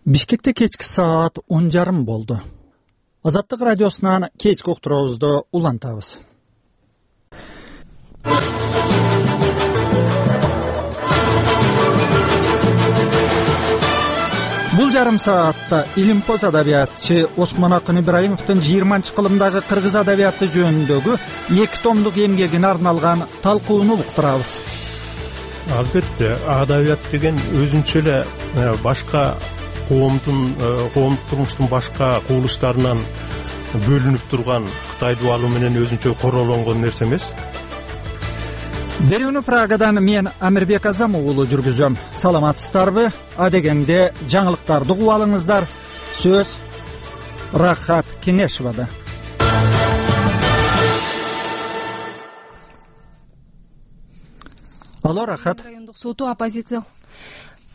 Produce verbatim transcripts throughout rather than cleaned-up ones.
Бишкекте кечки саат он жарым болду. Азаттык радиосунан кечки уктуруубузду улантабыз. Бул жарым саатта илимпоз адабиятчы Осмонакын Ибраимовдун жыйырманчы кылымдагы кыргыз адабияты жөнүндөгү эки томдук эмгегине арналган талкууну уктурабыз. Албетте, адабият деген өзүнчө эле башка коомдун коомдук турмуштун башка кубулуштарынан бөлүнүп турган Кытай дубалы менен өзүнчө королонгон нерсе эмес. Берүүнү Прагадан мен Амирбек Азам уулу жүргүзөм. Саламатсыздарбы? Адегенде жаңылыктарды угуп алыңыздар. Сөз Рахат Кенешевада. Алло, Рахат. Райондук соту оппозиция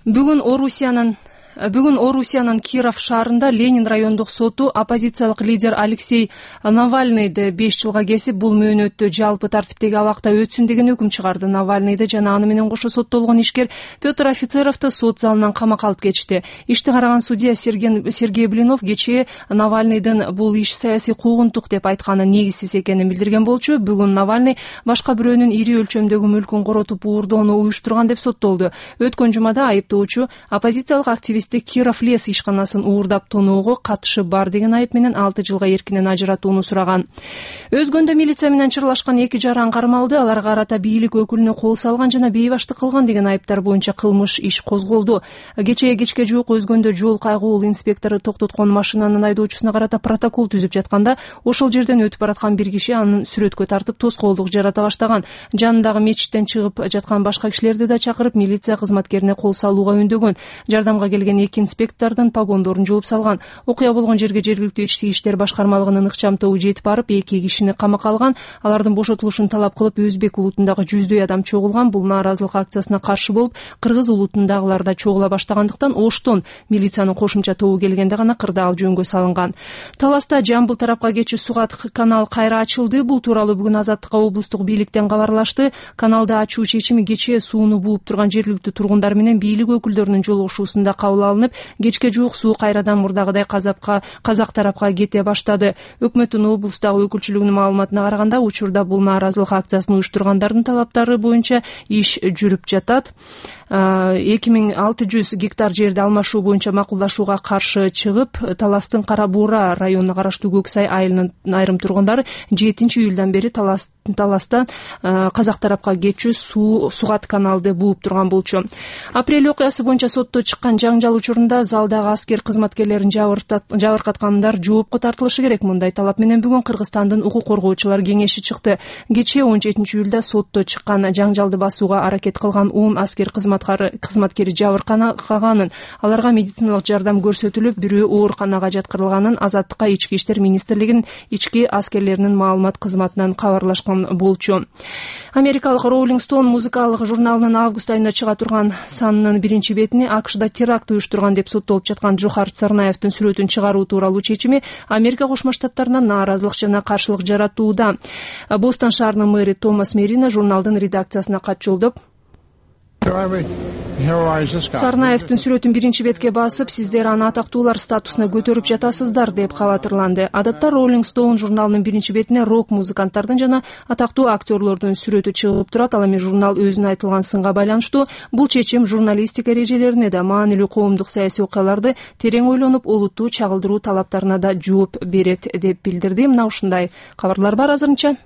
бүгүн Орусиянын Бүгүн Орусиянын Киров шаарында Ленин райондук соту оппозициялык лидер Алексей Навальныйды беш жылга кесип, бул мөөнөттө жалпы тартиптеги абакта өтсүн деген өкүм чыгарды. Навальныйды жана аны менен кошо соттолгон ишкер Петр Офицеровду сот залынан камакка алып кетишти. Ишти караган судья Сергей Блинов кечээ Навальныйдын бул иш саясий куугунтук деп айтканы негизсиз экенин билдирген болчу. Бүгүн Навальный башка бирөөнүн ири өлчөмдөгү мүлкүн коротуп уурдоону уюштурган деп соттолду. Өткөн жумада айыптоочу оппозициялык активист Киров лес ишканасын уурдап тоноого катышы бар деген айып менен алты жылга эркинен ажыратууну сураган. Өзгөндө милиция менен чырлашкан эки жаран кармалды. Аларга карата бийлик өкүлүнө кол салган жана бейбаштык кылган деген айыптар боюнча кылмыш иш козголду. Кечээ кечке жуук Өзгөндө жол кайгуул инспектору токтоткон машинанын айдоочусуна карата протокол түзүп жатканда, ошол жерден өтүп бараткан бир киши анын сүрөткө тартып тоскоолдук жарата баштаган. Жанындагы мечиттен чыгып жаткан башка кишилерди да чакырып, милиция кызматкерине кол салууга үндөгөн. Жардамга келген эки инспектордун погондорун жууп салган. Окуя болгон жерге жергиликтүү ички иштер башкармалыгынын ыкчам тобу жетип барып, эки кишини камакка алган. Алардын бошотулушун талап кылып, Өзбек улутундагы жүздөй адам чогулган. Бул нааразылык акциясына каршы болуп, кыргыз улутундагылар да чогула баштагандыктан Оштон милициянын кошумча тобу келгенде гана кырдаал жөнгө салынган. Таласта Жамбыл тарапка кетчү Сугат канал кайра ачылды. Бул тууралуу бүгүн Азаттыкка облустук бийликтен кабарлашты. Каналды ачуу чечими кечээ сууну бууп турган жергиликтүү тургундар менен бийлик өкүлдөрүнүн жолугушуусунда кабыл алынып, кечке жуук суу кайрадан мурдагыдай казапка казак тарапка кете баштады. Өкмөттүн облустагы өкүлчүлүгүнүн маалыматына караганда, учурда бул нааразылык акциясын уюштургандардын талаптары боюнча иш жүрүп жатат. эки миң алты жүз гектар жерди алмашуу боюнча макулдашууга каршы чыгып, Таластын Кара Буура районуна караштуу Көксай айылынын айрым тургундары жетинчи июлдан бери Талас Таластан казак тарапка кетчү суу Сугат каналды бууп турган болчу. Апрель окуясы боюнча сотто чыккан жаңжал учурунда залдагы аскер кызматкерлерин жабыркаткандар жоопко тартылышы керек. Мындай талап менен бүгүн Кыргызстандын укук коргоочулар кеңеши чыкты. Кечээ он жетинчи июлда сотто чыккан жаңжалды басууга аракет кылган он аскер кызматкери жабыркаганын, аларга медициналык жардам көрсөтүлүп, бирөө ооруканага жаткырылганын Азаттыкка Ички иштер министрлигинин ички аскерлеринин маалымат кызматынан кабарлашкан болчу. Америкалык Rolling Stone музыкалык журналынын август айында чыга турган санынын биринчи бетине АКШда теракт уюштурган деп соттолуп жаткан Джохар Царнаевдин сүрөтүн чыгаруу тууралуу чечими Америка Кошмо Штаттарына нааразылык жана каршылык жаратууда. Бостон шаарынын мэри Томас Мерина журналдын редакциясына кат жолдоп, Сарнаевдин сүрөтүн биринчи бетке басып, сиздер аны атактуулар статусуна көтөрүп жатасыздар деп кабатырланды. Адатта Rolling Stone журналынын биринчи бетине рок музыканттардын жана атактуу актерлордун сүрөтү чыгып турат. Ал эми журнал өзүнө айтылган сынга байланыштуу бул чечим журналистика эрежелерине да, маанилүү коомдук саясий окуяларды терең ойлонуп, олуттуу чагылдыруу талаптарына да жооп берет деп билдирди. Мына ушундай кабарлар бар азырынча.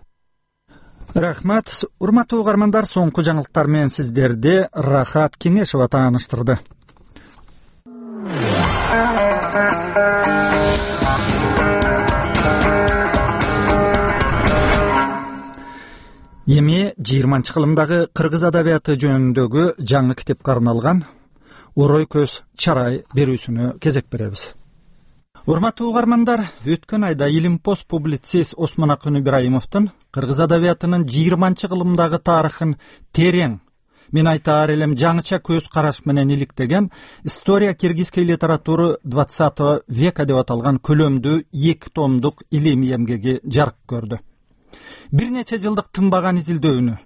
Рахмат. Урматтуу угармандар, соңку жаңылыктар менен сиздерди Рахат Кенешева тааныштырды. Эми жыйырманчы кылымдагы кыргыз адабияты жөнүндөгү жаңы китепке арналган Орой көз чарай берүүсүнө кезек беребиз. Урматтуу угармандар, өткөн айда илимпоз публицист Осмонакын Ибраимовдун кыргыз адабиятынын жыйырманчы кылымдагы тарыхын терең, мен айтаар элем жаңыча көз караш менен иликтеген «История киргизской литературы двадцатого века» деп аталган көлөмдүү эки томдук илимий эмгеги жарык көрдү. Бир нече жылдык тынбаган изилдөөнү,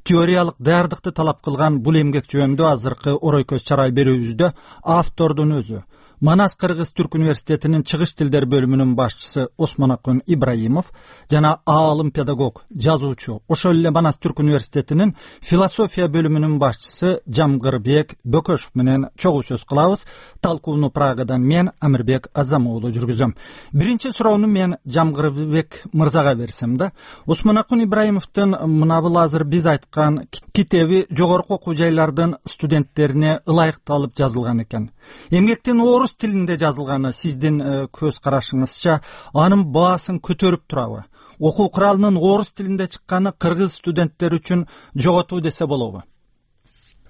теориялык даярдыкты талап кылган бул эмгек жөнүндө азыркы Орой көз чарай берүүбүздө автордун өзү, Манас Кыргыз Түрк университетинин чыгыш тилдер бөлүмүнүн башчысы Осмонакун Ибраимов жана аалым педагог, жазуучу, ошол эле Манас Түрк университетинин философия бөлүмүнүн башчысы Жамгырбек Бөкөшов менен чогуу сөз кылабыз. Талкууну Прагадан мен Амирбек Азам уулу жүргүзөм. Биринчи суроону мен Жамгырбек мырзага берсем да, Осмонакун Ибраимовдун мына бул азыр биз айткан китеби жогорку окуу жайлардын студенттерине ылайыкталып жазылган экен. Эмгектин орус тилинде жазылганы сиздин көз карашыңызча анын баасын көтөрүп турабы? Окуу куралынын орус тилинде чыкканы кыргыз студенттер үчүн жоготуу десе болобу?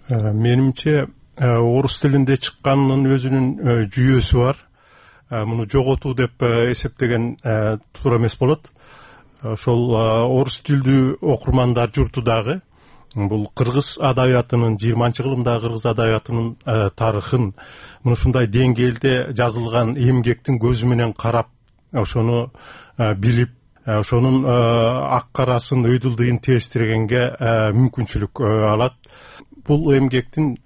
Менимче орус тилинде чыкканынын өзүнүн жүйөсү бар. Муну жоготуу деп эсептеген туура эмес болот. Ошол орус тилдүү окурмандар журту дагы бул кыргыз адабиятынын жыйырманчы кылымдагы кыргыз адабиятынын тарыхын мына ушундай деңгээлде жазылган эмгектин көзү менен карап, ошону билип, ошонун ак карасын, өйдүлдыгын териштиргенге мүмкүнчүлүк алат. Бул эмгектин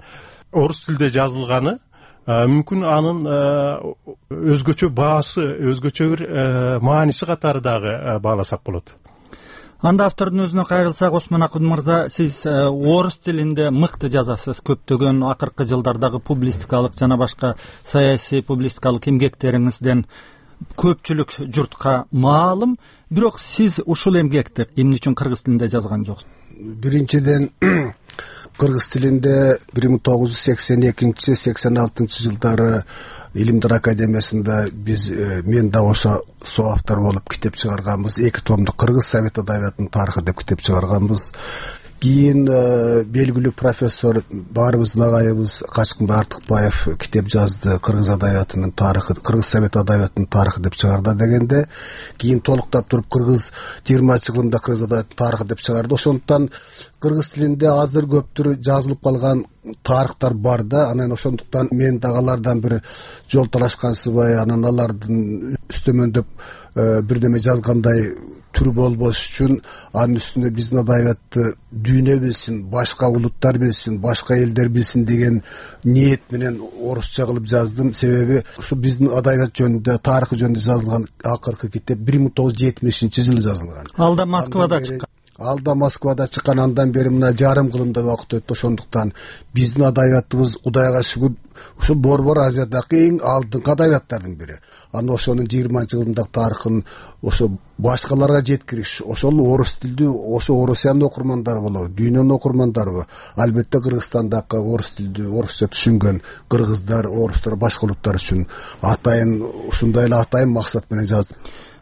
орус тилде жазылганы мүмкүн анын өзгөчө баасы, өзгөчө бир мааниси катары дагы бааласак болот. Анда автордун өзүнө кайрылсак, Осмонакун мырза, сиз орус тилинде мыкты жазасыз. Көптөгөн акыркы жылдардагы публистикалык жана башка саясий публистикалык эмгектериңизден көпчүлүк журтка маалым. Бирок сиз ушул эмгекти эмне үчүн кыргыз тилинде жазган жоксуз? Биринчиден, кыргыз тилинде бир миң тогуз жүз сексен экинчи сексен алтынчы жылдары Илимдер академиясында биз мен да ошо соавтор болуп китеп чыгарганбыз. Эки томдук кыргыз совет адабиятынын тарыхы деп китеп чыгарганбыз. Кийин белгилүү профессор, баарыбыздын агайыбыз Качкынбай Артыкбаев китеп жазды. Кыргыз адабиятынын тарыхы, кыргыз совет адабиятынын тарыхы деп чыгарды дегенде, кийин толуктап туруп кыргыз жыйырманчы кылымда кыргыз адабиятынын тарыхы деп чыгарды. Ошондуктан кыргыз тилинде азыр көптүр жазылып калган тарыхтар бар да. Анан ошондуктан мен дагалардан бир жол талашкансыбай, анан алардын үстөмөндөп бирдеме жазгандай түр болбош үчүн анын үстүнө биздин адабиятты дүйнө билсин, башка улуттар билсин, башка элдер билсин деген ниет менен орусча кылып жаздым. Себеби ушу биздин адабият жөнүндө, тарыхы жөнүндө жазылган акыркы китеп бир миң тогуз жүз жетимишинчи жылы жазылган. Алда Москвада чыккан. Алда Москвада чыккан, андан бери мына жарым кылымда убакыт өттү. Ошондуктан биздин адабиятыбыз Кудайга шүгүр ушу Борбор Азиядагы эң алдыңкы адабияттардын бири. Аны ошонун жыйырманчы кылымдагы тарыхын ошо башкаларга жеткириш, ошол орус тилдүү, ошо Орусиянын окурмандары болобу, дүйнөнүн окурмандарыбы, албетте Кыргызстандагы орус тилдүү, орусча түшүнгөн кыргыздар, орустар, башка улуттар үчүн атайын ушундай эле атайын максат менен жаздым.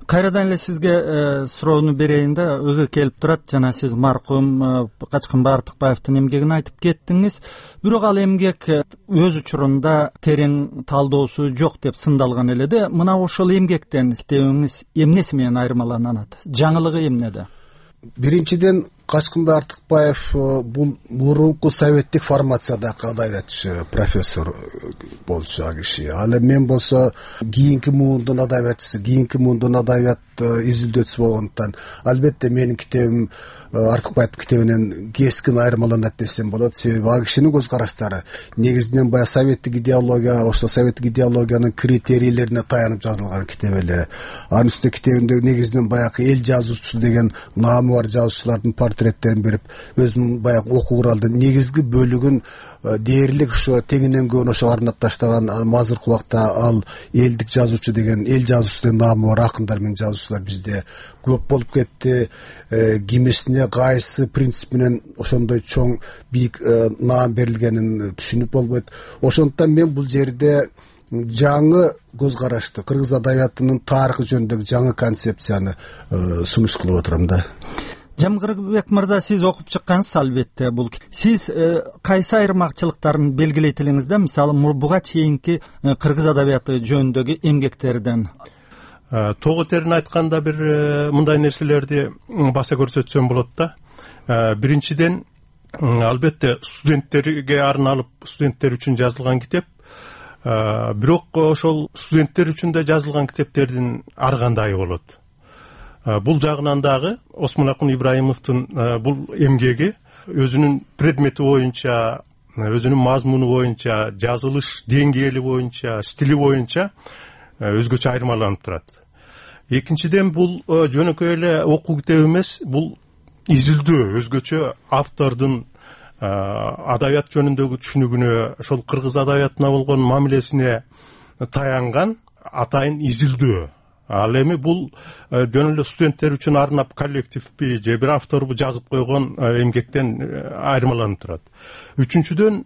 Кайрадан эле сизге суроону берейин да, ыгы келип турат. Жана сиз маркум Качкынбай Артыкбаевдин эмгегин айтып кеттиңиз. Бирок ал эмгек өз учурунда терең талдоосу жок деп сындалган эле да. Мына ошол эмгектен китебиңиз эмнеси менен айырмаланат? Жаңылыгы эмнеде? Биринчиден, Качкынбай Артыкбаев бул мурунку советтик формациядагы адабиятчы, профессор болчу киши. Ал эми мен болсо кийинки муундун адабиятчысы, кийинки муундун адабият изилдөөчүсү болгондуктан албетте менин китебим Артыкбаевдин китебинен кескин айырмаланат десем болот. Себеби ал кишинин көз караштары негизинен баягы советтик идеология, ошо советтик идеологиянын критерийлерине таянып жазылган китеп эле. Анын үстүнө китебинде негизинен баягы эл жазуучусу деген наамы бар жазуучулардын портреттерин берип, өзүнүн баягы окуу куралдын негизги бөлүгүн дээрлик ошо теңинен көбүн ошо арнап таштаган. Азыркы убакта ал элдик жазуучу деген, эл жазуучусу деген наамы бар акындар менен жазуучулар бизде көп болуп кетти. Кимисине кайсы принцип менен ошондой чоң бийик наам берилгенин түшүнүп болбойт. Ошондуктан мен бул жерде жаңы көз карашты, кыргыз адабиятынын тарыхы жөнүндөгү жаңы концепцияны сунуш кылып отурам да. Жамгырбек мырза, сиз окуп чыккансыз албетте бул. Сиз кайсы айырмачылыктарын белгилейт элеңиз да? Мисалы, буга чейинки кыргыз адабияты жөнүндөгү эмгектерден. Тогу терин айтканда бир мындай нерселерди баса көрсөтсөм болот да. Биринчиден, албетте студенттерге арналып, студенттер үчүн жазылган китеп. Бирок ошол студенттер үчүн да жазылган китептердин ар кандайы болот. Бул жагынан дагы Осмонакун Ибраимовдун бул эмгеги өзүнүн предмети боюнча өзүнүн мазмуну боюнча, жазылыш деңгээли боюнча, стили боюнча өзгөчө айырмаланып турат. Экинчиден, бул жөнөкөй эле окуу китеби эмес, бул изилдөө, өзгөчө автордун адабият жөнүндөгү түшүнүгүнө, ошол кыргыз адабиятына болгон мамилесине таянган атайын изилдөө. Ал эми бул жөн эле студенттер үчүн арнап коллективби же бир авторбу жазып койгон эмгектен айырмаланып турат. Үчүнчүдөн,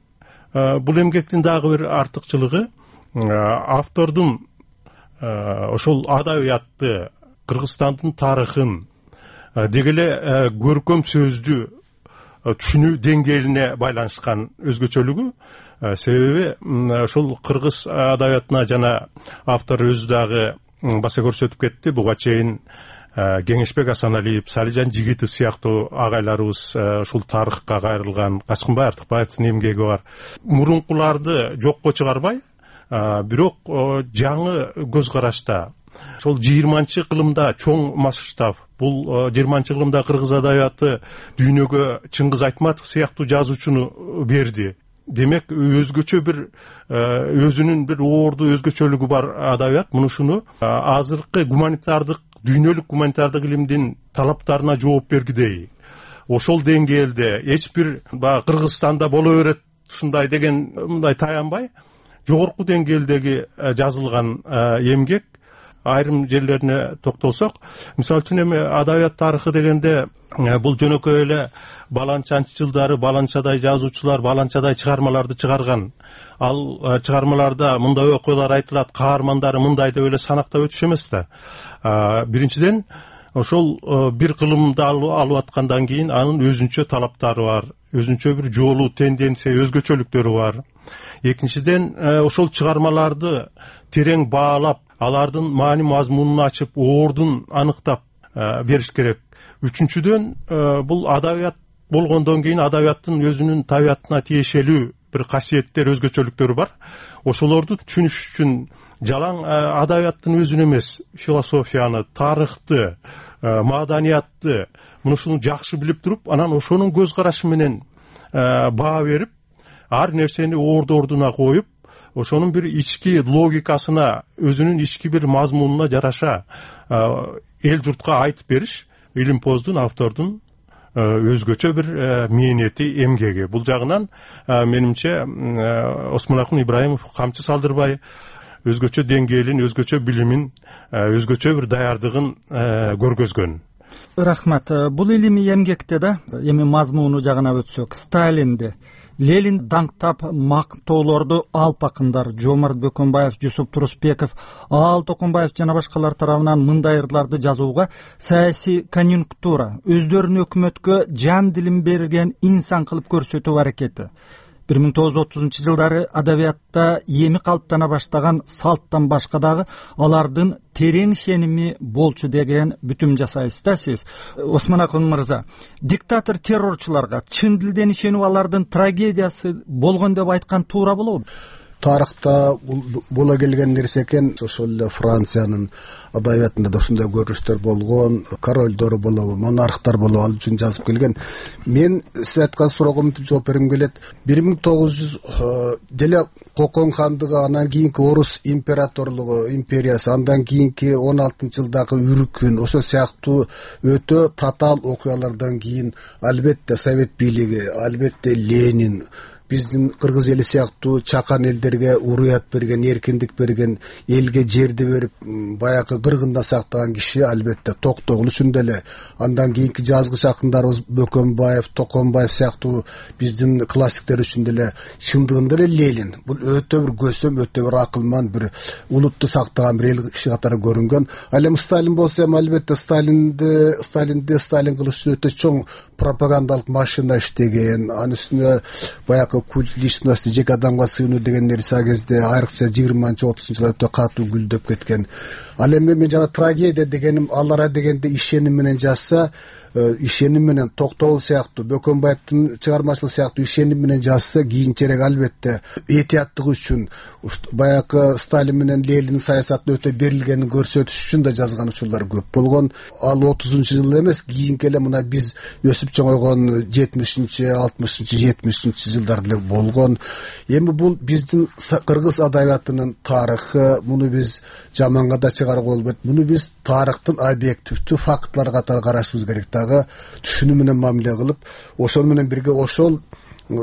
бул эмгектин дагы бир артыкчылыгы автордун ошол адабиятты, Кыргызстандын тарыхын деги эле көркөм сөздү түшүнүү деңгээлине байланышкан өзгөчөлүгү. Себеби ошол кыргыз адабиятына жана автор өзү дагы баса көрсөтүп кетти. Буга чейин Кеңешбек Асаналиев, Салижан Жигитов сыяктуу агайларыбыз ушул тарыхка кайрылган, Качкынбай Артыкбаевдин эмгеги бар. Мурункуларды жокко чыгарбай, бирок жаңы көз карашта, ошол жыйырманчы кылымда чоң масштаб, бул жыйырманчы кылымда кыргыз адабияты дүйнөгө Чыңгыз Айтматов сыяктуу жазуучуну берди. Демек, өзгөчө бир өзүнүн бир оорду өзгөчөлүгү бар адабият. Мунушуну азыркы гуманитардык, дүйнөлүк гуманитардык илимдин талаптарына жооп бергидей, ошол деңгээлде эч бир баягы Кыргызстанда боло берет ушундай деген мындай таянбай, жогорку деңгээлдеги жазылган эмгек. Айрым жерлерине токтолсок, мисалы үчүн эми адабият тарыхы дегенде бул жөнөкөй эле баланчанчы жылдары баланчадай жазуучулар баланчадай чыгармаларды чыгарган. Ал чыгармаларда мындай окуялар айтылат, каармандары мындай деп эле санактап өтүш эмес да. Биринчиден, ошол бир кылымды алып аткандан кийин анын өзүнчө талаптары бар, өзүнчө бир жолу, тенденция, өзгөчөлүктөрү бар. Экинчиден, ошол чыгармаларды терең баалап, алардын маани мазмунун ачып, оордун аныктап бериш керек. Үчүнчүдөн, бул адабият болгондон кийин адабияттын өзүнүн табиятына тиешелүү бир касиеттер, өзгөчөлүктөрү бар. Ошолорду түшүнүш үчүн жалаң адабияттын өзүн эмес, философияны, тарыхты, маданиятты, мунусуну жакшы билип туруп, анан ошонун көз карашы менен баа берип, ар нерсени орду ордуна коюп, ошонун бир ички логикасына, өзүнүн ички бир мазмунуна жараша эл журтка айтып бериш илимпоздун, автордун өзгөчө бир мээнети, эмгеги. Бул жагынан менимче Осмонакун Ибраимов камчы салдырбай, өзгөчө деңгээлин, өзгөчө билимин, өзгөчө бир даярдыгын көргөзгөн. Рахмат. Бул илимий эмгекте да эми мазмуну жагына өтсөк, Сталинди, Ленин даңктап мактоолорду алп акындар Жомарт Бөкөнбаев, Жусуп Турусбеков, Аал Токонбаев жана башкалар тарабынан мындай ырларды жазууга саясий конъюнктура, өздөрүнүн өкмөткө жан дилин берген инсан кылып көрсөтүү аракети. бир миң тогуз жүз отузунчу жылдары адабиятта эми калыптана баштаган салттан башка дагы алардын терең ишеними болчу деген бүтүм жасайсыз да сиз. Осмонакун мырза, диктатор террорчуларга чын дилден ишенүү алардын трагедиясы болгон деп айткан туура болобу? Тарыхта бола келген нерсе экен. Ошол эле Франциянын адабиятында да ушундай көрүнүштөр болгон, королдор болобу, монархтар болобу, ал үчүн жазып келген. Мен сиз айткан суроого мынтип жооп бергим келет. бир миң тогуз жүз деле Кокон хандыгы, андан кийинки Орус императорлугу, империясы, андан кийинки он алтынчы жылдагы үркүн, ошол сыяктуу өтө татаал окуялардан кийин албетте Совет бийлиги, албетте Ленин, биздин кыргыз эли сыяктуу чакан элдерге уруят берген, эркиндик берген, элге жерди берип баягы кыргындан сактаган киши албетте Токтогул үчүн деле. Андан кийинки жазгыч акындарыбыз Бөкөнбаев, Токонбаев сыяктуу биздин классиктер үчүн деле чындыгында эле Ленин. Бул өтө бир көсөм, өтө бир акылман, бир улутту сактаган бир эл киши катары көрүнгөн. Ал эми Сталин болсо эми албетте Сталинди Сталинди Сталин кылыш үчүн өтө чоң пропагандалык машина иштеген, анын үстүнө баягы культ личности, жеке адамга сыйынуу деген нерсе а кезде айрыкча жыйырманчы отузунчу жылдар өтө катуу гүлдөп кеткен. Ал эми мен жана трагедия дегеним алара дегенде ишеним менен жазса, ишеним менен Токтогул сыяктуу, Бөкөнбаевдин чыгармачылык сыяктуу ишеним менен жазса, кийинчерээк албетте этияттыгы үчүн баягы Сталин менен Лениндин саясатына өтө берилгенин көрсөтүш үчүн да жазган учурлар көп болгон. Ал отузунчу жыл эмес, кийинки эле мына биз өсүп чоңойгон жетимишинчи, алтымышынчы, жетимишинчи жылдар деле болгон. Эми бул биздин кыргыз адабиятынын тарыхы, муну биз жаманга да чыгарууга болбойт. Муну биз тарыхтын объективдүү фактлары катары карашыбыз керек. Дагы түшүнүү менен мамиле кылып, ошол менен бирге ошол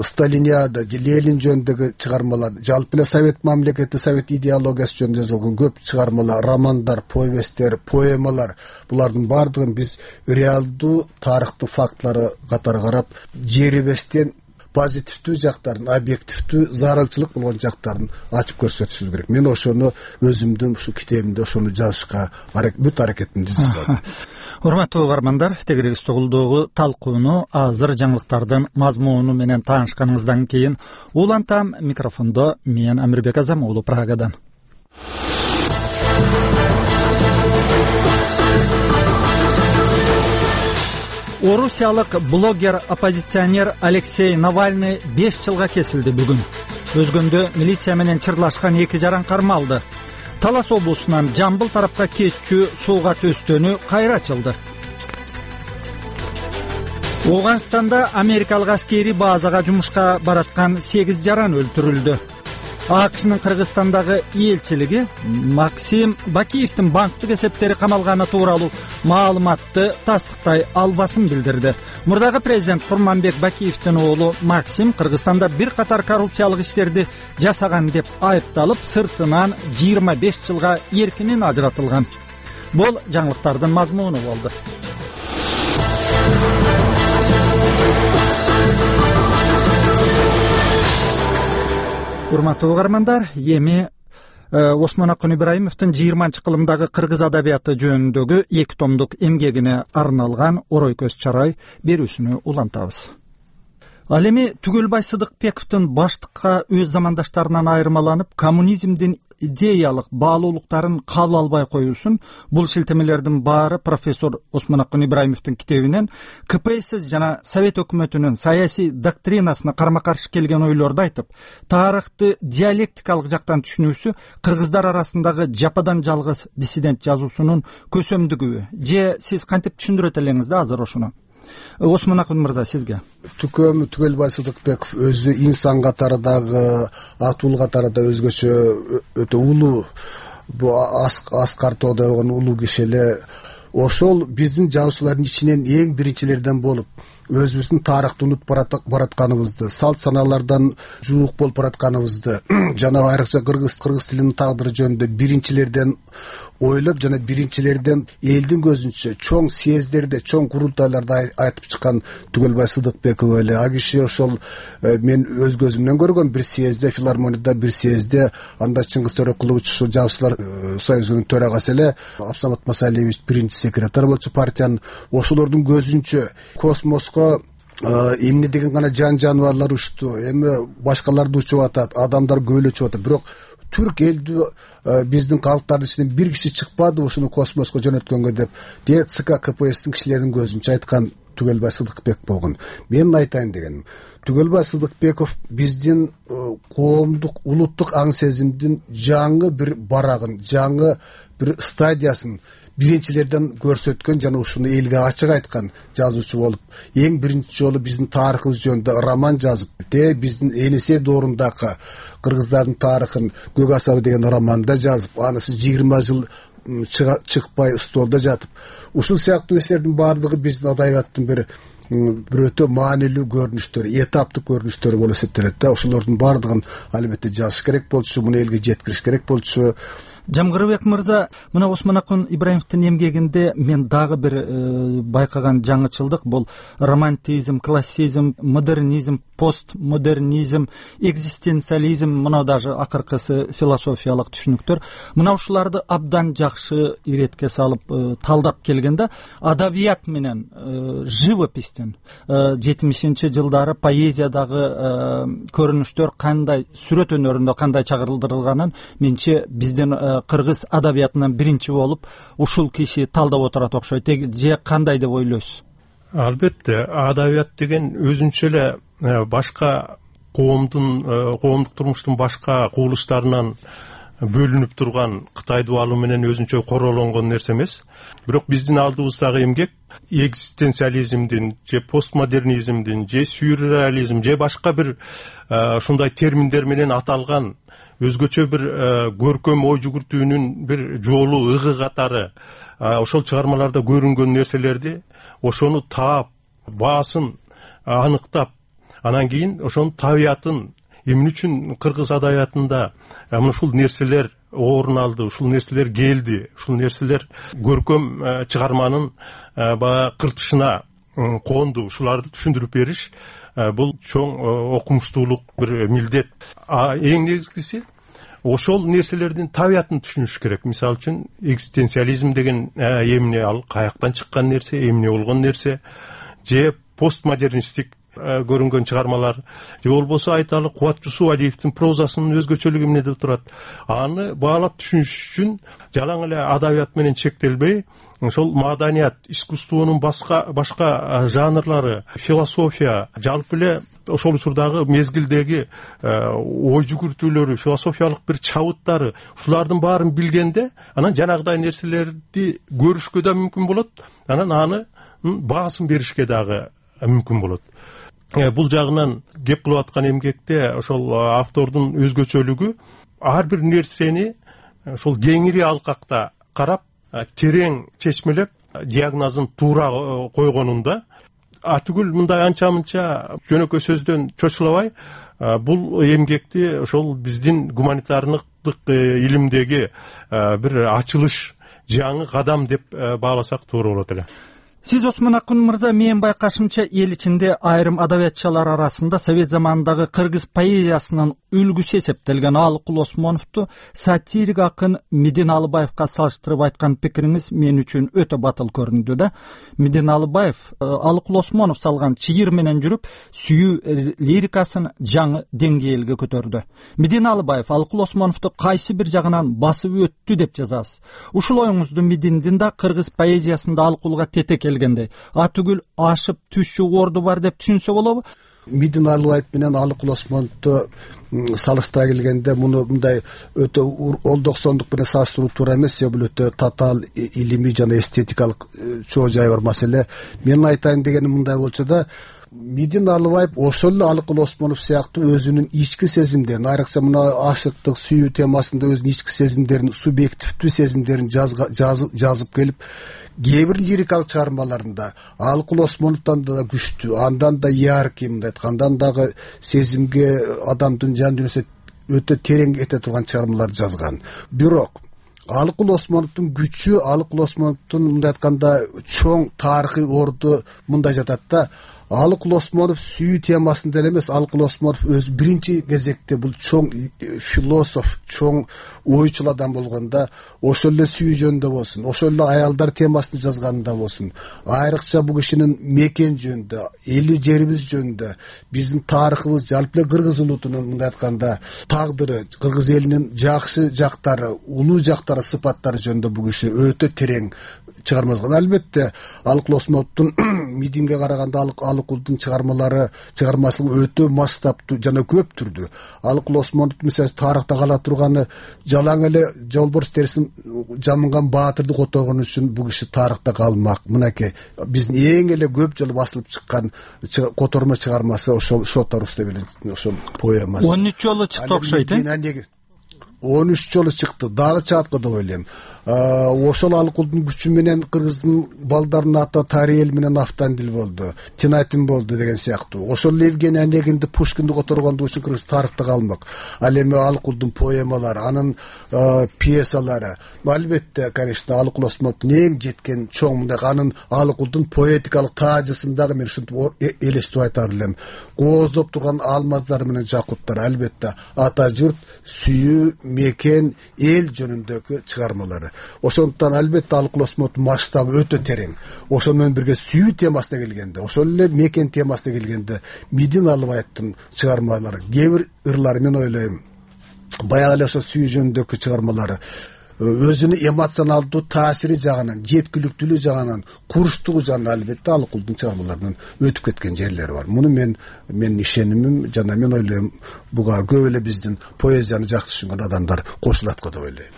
Сталиниада, Ленин жөнүндөгү чыгармалар, жалпы эле совет мамлекети, совет идеологиясы жөнүндө жазылган көп чыгармалар, романдар, повесттер, поэмалар, булардын баардыгын биз реалдуу тарыхтын фактлары катары карап, жерибестен позитивдүү жактарын, объективдүү зарылчылык болгон жактарын ачып көрсөтүшүбүз керек. Мен ошону өзүмдүн ушу китебимде ошону жазышка бүт аракетимди жасадым. Урматтуу угармандар, тегерегиз угулдогу талкууну азыр жаңылыктардын мазмуну менен таанышканыңыздан кийин улантам. Микрофондо мен Амирбек Азам уулу Прагадан. Орусиялык блогер, оппозиционер Алексей Навальный беш жылга кесилди бүгүн. Өзгөндө милиция менен чырлашкан эки жаран кармалды. Талас облусунан Жамбыл тарапка кетчү сууга төстөнү кайра ачылды. Оганстанда америкалык аскери базага жумушка бараткан сегиз жаран өлтүрүлдү. АКШнын Кыргызстандагы элчилиги Максим Бакиевдин банктык эсептери камалганы тууралуу маалыматты тастыктай албасын билдирди. Мурдагы президент Курманбек Бакиевдин уулу Максим Кыргызстанда бир катар коррупциялык иштерди жасаган деп айыпталып, сыртынан жыйырма беш жылга эркинен ажыратылган. Бул жаңылыктардын мазмуну болду. Урматтуу угармандар, эми Осмонакун Ибраимовдун жыйырманчы кылымдагы кыргыз адабияты жөнүндөгү эки томдук эмгегине арналган Орой көз чарай берүүсүнү улантабыз. Ал эми Түгөлбай Сыдыкбековдун баштыкка өз замандаштарынан айырмаланып, коммунизмдин идеялык баалуулуктарын кабыл албай коюусун, бул шилтемелердин баары профессор Осмонакун Ибраимовдун китебинен КПСС жана Совет өкмөтүнүн саясий доктринасына карма-каршы келген ойлорду айтып, тарыхты диалектикалык жактан түшүнүүсү кыргыздар арасындагы жападан жалгыз диссидент жазуусунун көсөмдүгүбү, же сиз кантип түшүндүрөт элеңиз да азыр ошону? Осмонакун мырза, сизге. Түкөм Түгөлбай Сыдыкбеков өзү инсан катары дагы, атул катары да өзгөчө өтө улуу, бу Аскар Тоодогон улуу киши эле. Ошол биздин жазуучулардын ичинен эң биринчилерден болуп, өзүбүздүн тарыхты унутуп баратканыбызды, салт санаалардан жуук болуп баратканыбызды жана айрыкча кыргыз кыргыз тилинин тагдыры жөнүндө биринчилерден ойлоп жана биринчилерден элдин көзүнчө чоң съездерде, чоң курултайларда айтып чыккан Түгөлбай Сыдыкбеков эле. А киши ошол мен өз көзүмдөн көргөн бир съездде, филармонияда бир съездде, анда Чыңгыз Төрөкулович ушул жазуучулар союзунун төрагасы эле, Абсамат Масалиевич биринчи секретарь болчу партиянын. Ошолордун көзүнчө космоско эмне деген гана жан жаныбарлар учту, эми башкаларды учуп атат, адамдар көбөлөчүп атат, бирок түрк элдүү биздин калктардын ичинен бир киши чыкпады ушуну космоско жөнөткөнгө деп де ЦК КПССтин кишилеринин көзүнчө айткан Түгөлбай Сыдыкбек болгон. Мен айтайын дегеним, Түгөлбай Сыдыкбеков биздин коомдук, улуттук аң сезимдин жаңы бир барагын, жаңы бир стадиясын биринчилерден көрсөткөн жана ушуну элге ачык айткан жазуучу болуп, эң биринчи жолу биздин тарыхыбыз жөнүндө роман жазып, де биздин Энисей доорундагы кыргыздардын тарыхын Көк асабы деген романда жазып, анысы жыйырма жыл чыкпай столдо жатып, ушул сыяктуу нерселердин баардыгы биздин адабияттын бир бир өтө маанилүү көрүнүштөр, этаптык көрүнүштөр болуп эсептелет да. Ошолордун баардыгын албетте жазыш керек болчу, муну элге жеткириш керек болчу. Жамгырбек мырза, мына Осмонакун Ибраимовдун эмгегинде мен дагы бир байкаган жаңычылдык, бул романтизм, классизм, модернизм, постмодернизм, экзистенциализм, мына даже акыркысы философиялык түшүнүктөр. Мына ушуларды абдан жакшы иретке салып талдап келгенде, адабият менен живопистен жетимишинчи жылдары поэзиядагы көрүнүштөр кандай, сүрөт өнөрүндө кандай чагырылдырылганын менче биздин кыргыз адабиятынан биринчи болуп ушул киши талдап отурат окшойт, же кандай деп ойлойсуз? Албетте, адабият деген өзүнчө эле башка коомдун коомдук турмуштун башка кубулуштарынан бөлүнүп турган Кытай дубалы менен өзүнчө королонгон нерсе эмес. Бирок биздин алдыбыздагы эмгек экзистенциализмдин же постмодернизмдин же сюрреализм же башка бир ушундай терминдер менен аталган өзгөчө бир көркөм ой жүгүртүүнүн бир жолу, ыгы катары ошол чыгармаларда көрүнгөн нерселерди ошону таап, баасын аныктап, анан кийин ошонун табиятын эмне үчүн кыргыз адабиятында мына ушул нерселер орун алды, ушул нерселер келди, ушул нерселер көркөм чыгарманын баягы кыртышына конду, ушуларды түшүндүрүп бериш бул чоң окумуштуулук бир милдет. Эң негизгиси ошол нерселердин табиятын түшүнүш керек. Мисалы үчүн экзистенциализм деген эмне, ал каяктан чыккан нерсе, эмне болгон нерсе, же постмодернисттик көрүнгөн чыгармалар, же болбосо айталы Кубат Жусупалиевдин прозасынын өзгөчөлүгү эмнеде турат. Аны баалап түшүнүш үчүн жалаң эле адабият менен чектелбей, ошол маданият, искусствонун башка башка жанрлары, философия, жалпы эле ошол учурдагы мезгилдеги ой жүгүртүүлөрү, философиялык бир чабыттары, ушулардын баарын билгенде, анан жанагыдай нерселерди көрүшкө да мүмкүн болот, анан аны баасын беришке дагы мүмкүн болот. Бул жагынан кеп кылып аткан эмгекте ошол автордун өзгөчөлүгү ар бир нерсени ошол кеңири алкакта карап, терең чечмелеп, диагнозун туура койгонунда, а түгүл мындай анча мынча жөнөкөй сөздөн чочулабай, бул эмгекти ошол биздин гуманитардык илимдеги бир ачылыш, жаңы кадам деп бааласак туура болот эле. Сиз Осмон Акын мырза, менин байкашымча эл ичинде айрым адабиятчылар арасында совет заманындагы кыргыз поэзиясынын үлгүсү эсептелген Алыкул Осмоновду сатирик акын Медин Алыбаевка салыштырып айткан пикириңиз мен үчүн өтө батыл көрүндү да. Медин Алыбаев Алыкул Осмонов салган чыйыр менен жүрүп, сүйүү лирикасын жаңы деңгээлге көтөрдү. Медин Алыбаев Алыкул Осмоновду кайсы бир жагынан басып өттү деп жазасыз. Ушул оюңузду Мединдин да кыргыз поэзиясында Алыкулга тете келгенде, а түгүл ашып түшчү орду бар деп түшүнсө болобу? Медин Алыбаев менен Алыкул Осмоновду салыштыра келгенде, муну мындай өтө он токсондук менен салыштыруу туура эмес, бул өтө татаал илимий жана эстетикалык чоо жайы бар маселе. Мен айтайын дегеним мындай болчу да, Медин Алыбаев ошол эле Алыкул Осмонов сыяктуу өзүнүн ички сезимдерин, айрыкча мына ашыктык, сүйүү темасында өзүнүн ички сезимдерин, субъективдүү сезимдерин жазып келип, кээ бир лирикалык чыгармаларында Алыкул Осмоновдон да күчтүү, андан да яркий, мындай айткандан дагы сезимге, адамдын жан дүйнөсүнө өтө терең эте турган чыгармаларды жазган. Бирок Алыкул Осмоновдун күчү, Алыкул Осмоновдун мындай айтканда чоң тарыхый орду мындай жатат да. Алыкул Осмонов сүйүү темасында эле эмес, Алыкул Осмонов өз биринчи кезекте бул чоң философ, чоң ойчул адам болгондо, ошол эле сүйүү жөнүндө болсун, ошол эле аялдар темасын жазганында болсун, айрыкча бул кишинин мекен жөнүндө, эли жерибиз жөнүндө, биздин тарыхыбыз, жалпы эле кыргыз улутунун мындай айтканда тагдыры, кыргыз элинин жакшы жактары, улуу жактары, сыпаттары жөнүндө бул киши өтө терең чыгарма жазган. Албетте, Алыкул Осмоновдун Мединге караганда Алыкулдун чыгармалары, чыгармачылыгы өтө масштабтуу жана көп түрдүү. Алыкул Осмонов мисалы тарыхта кала турганы, жалаң эле жолборс терисин жамынган баатырды которгон үчүн бул киши тарыхта калмак. Мынакей биздин эң эле көп жолу басылып чыккан котормо чыгармасы ошол Шотарус деп эле ошол поэмасы. он үч жолу чыкты окшойт, э? он үч жолу чыкты, дагы чыгат го деп ойлойм. Ошол Алыкулдун күчү менен кыргыздын балдарынын аты Тариэл менен Автандил болду, Тинатин болду деген сыяктуу. Ошол Евгений Онегинди, Пушкинди которгондугу үчүн кыргыз тарыхта калмак. Ал эми Алыкулдун поэмалары, анын пьесалары, албетте, конечно, Алыкул Осмоновдун эң жеткен чоң мындай анын Алыкулдун поэтикалык таажысын дагы мен ушинтип элестип айтар элем. Кооздоп турган алмаздар менен жакуттар, албетте, ата журт, сүйүү, мекен, эл жөнүндөгү чыгармалары. Ошондуктан албетте Алыкул Осмоновдун масштабы өтө терең. Ошол менен бирге сүйүү темасына келгенде, ошол эле мекен темасына келгенде, Медин Алыбаевдин чыгармалары, кээ бир ырлары мен ойлойм, баягы эле ошо сүйүү жөнүндөгү чыгармалары өзүнүн эмоционалдуу таасири жагынан, жеткиликтүүлүгү жагынан, курчтугу жагынан албетте Алыкулдун чыгармаларынан өтүп кеткен жерлери бар. Муну мен менин ишенимим жана мен ойлойм буга көп эле биздин поэзияны жакшы түшүнгөн адамдар кошулат го деп ойлойм.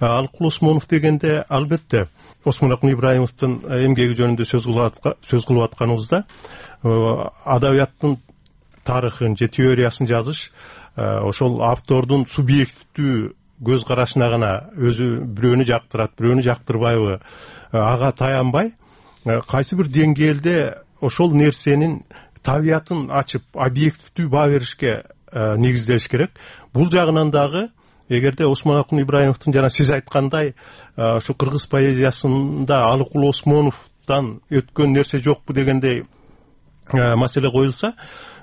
Алыкул Осмонов дегенде албетте Осмонакун Ибраимовдун эмгеги жөнүндө сөз кылып атканыбызда адабияттын тарыхын же теориясын жазыш ошол автордун субъективдүү көз карашына гана өзү бирөөнү жактырат, бирөөнү жактырбайбы ага таянбай кайсы бир деңгээлде ошол нерсенин табиятын ачып объективдүү баа беришке негизделиш керек. Бул жагынан дагы эгерде Осмонакун Ибраимовдун жана сиз айткандай ушу кыргыз поэзиясында Алыкул Осмоновдон өткөн нерсе жокпу дегендей маселе коюлса,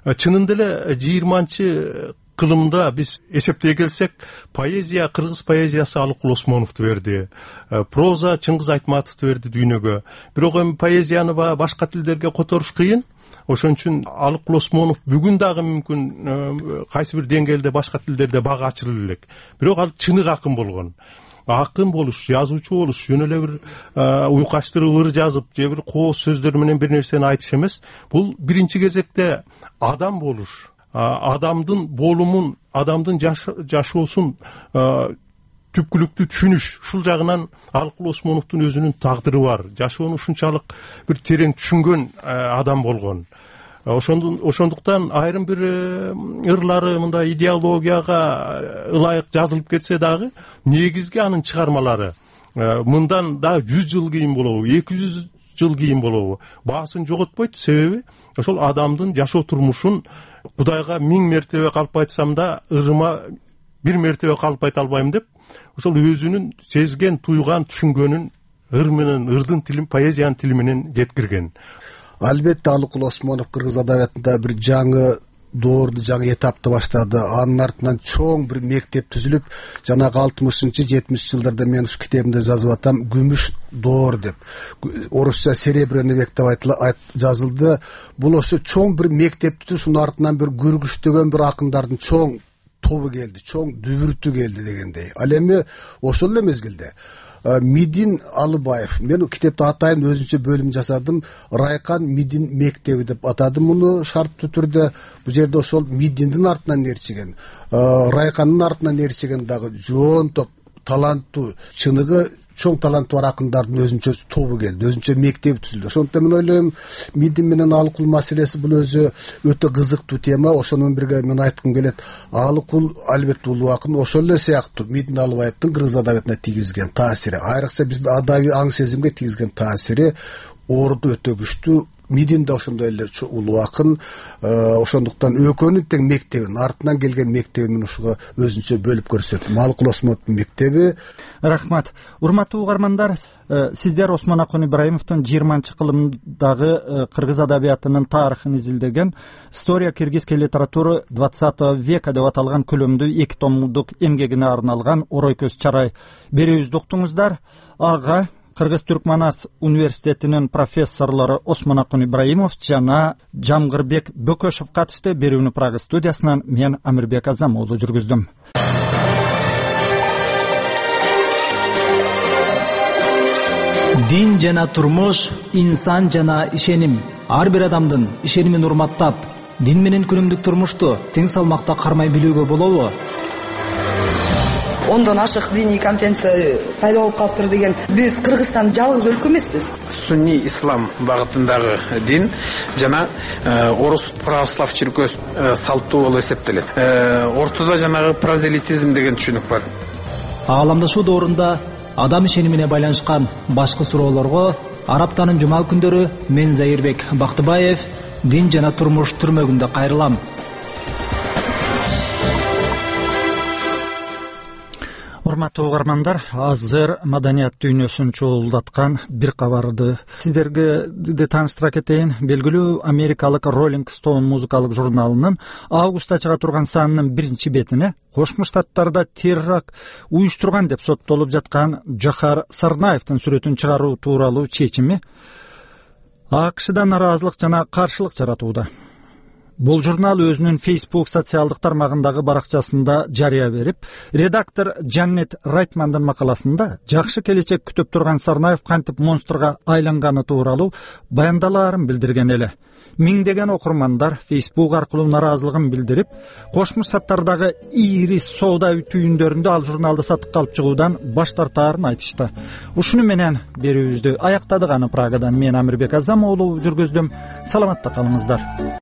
чынында эле жыйырманчы кылымда биз эсептей келсек, поэзия, кыргыз поэзиясы Алыкул Осмоновду берди, проза Чыңгыз Айтматовду берди дүйнөгө. Бирок эми поэзияны башка тилдерге которуш кыйын. Ошон үчүн Алыкул Осмонов бүгүн дагы мүмкүн кайсы бир деңгээлде башка тилдерде бага ачылып элек. Бирок ал чыныгы акын болгон. Акын болуш, жазуучу болуш, жөн эле бир уйкаштырып ыр жазып, же бир кооз сөздөр менен бир нерсени айтыш эмес. Бул биринчи кезекте адам болуш, адамдын болумун, адамдын жашоосун түпкүлүктүү түшүнүш. Ушул жагынан Алыкул Осмоновдун өзүнүн тагдыры бар. Жашоону ушунчалык бир терең түшүнгөн адам болгон. Ошондуктан айрым бир ырлары мындай идеологияга ылайык жазылып кетсе дагы, негизги анын чыгармалары мындан да жүз жыл кийин болобу, эки жүз жыл кийин болобу, баасын жоготпойт. Себеби ошол адамдын жашоо турмушун Кудайга миң мертебе калп айтсам да, ырыма бир мертебе калп айта албайм деп, ошол өзүнүн сезген, туйган, түшүнгөнүн ыр менен, ырдын тилин, поэзиянын тили менен жеткирген. Албетте Алыкул Осмонов кыргыз адабиятында бир жаңы доорду, жаңы этапты баштады. Анын артынан чоң бир мектеп түзүлүп, жанагы алтымышынчы жетимишинчи жылдарда мен ушу китебимде жазып атам, күмүш доор деп. Орусча серебряный век деп жазылды. Бул ошо чоң бир мектепти, ушунун артынан бир көргүчтөгөн бир акындардын чоң тобу келди, чоң дүбүртү келди дегендей. Ал эми ошол эле мезгилде Мидин Алыбаев, мен китепти атайын өзүнчө бөлүм жасадым, Райкан Мидин мектеби деп атадым муну шарттуу түрдө. Бул жерде ошол Мидиндин артынан ээрчиген, Райкандын артынан ээрчиген дагы жоон топ таланттуу, чыныгы чоң таланты бар акындардын өзүнчө тобу келди, өзүнчө мектеби түзүлдү. Ошондуктан мен ойлойм, Мидин менен Алыкул маселеси бул өзү өтө кызыктуу тема. Ошону менен бирге мен айткым келет. Алыкул албетте улуу акын, ошол эле сыяктуу Мидин Алыбаевдин кыргыз адабиятына тийгизген таасири, айрыкча биздин адабий аң сезимге тийгизген таасири орду өтө күчтүү. Мидин да ошондой эле улуу акын. Ошондуктан экөөнүн тең мектебин, артынан келген мектебин ушуга өзүнчө бөлүп көрсөт. Алыкул Осмоновдун мектеби. Рахмат. Урматтуу угармандар, сиздер Осмонакун Ибраимовдун жыйырманчы кылымдагы кыргыз адабиятынын тарыхын изилдеген «История киргизской литературы двадцатого века» деп аталган көлөмдүү эки томдук эмгегине арналган «Орой көз чарай» берүүбүздү уктуңуздар. Ага Кыргыз-Түркманас университетинин профессорлору Осмонакун Ибраимов жана Жамгырбек Бөкөшев катышты. Берүүнү Прага студиясынан мен Амирбек Азамоğlu жүргүздүм. Дин жана турмуш, инсан жана ишеним. Ар бир адамдын ишенимин урматтап, дин менен күнүмдүк турмушту тең салмакта кармай билүүгө болобу? Ондон ашык диний конференция пайда болуп калыптыр деген. Биз Кыргызстан жалгыз өлкө эмеспиз. Сунни ислам багытындагы дин жана орус православ чиркөөсү салттуу болуп эсептелет. Ортодо жанагы прозелитизм деген түшүнүк бар. Ааламдашуу доорунда адам ишенимине байланышкан башкы суроолорго Араптанын жума күндөрү мен Заирбек Бактыбаев дин жана турмуш түрмөгүндө кайрылам. Урматтуу угармандар, азыр маданият дүйнөсүн чуулдаткан бир кабарды сиздерге де тааныштыра кетейин. Белгилүү америкалык Rolling Stone музыкалык журналынын августта чыга турган санынын биринчи бетине Кошмо Штаттарда терракт уюштурган деп соттолуп жаткан Жохар Сарнаевдин сүрөтүн чыгаруу тууралуу чечими АКШда нааразылык жана каршылык жаратууда. Бул журнал өзүнүн Facebook социалдык тармагындагы баракчасында жарыя берип, редактор Джанет Райтмандын макаласында жакшы келечек күтүп турган Сарнаев кантип монстрга айланганы тууралуу баяндалаарын билдирген эле. Миңдеген окурмандар Facebook аркылуу нараазылыгын билдирип, Кошмо Штаттардагы ири соода түйүндөрүндө ал журналды сатыкка алып чыгуудан баш тартаарын айтышты. Ушуну менен берүүбүздү аяктадык. Аны Прагадан мен Амирбек Азам уулу жүргүздүм. Саламатта калыңыздар.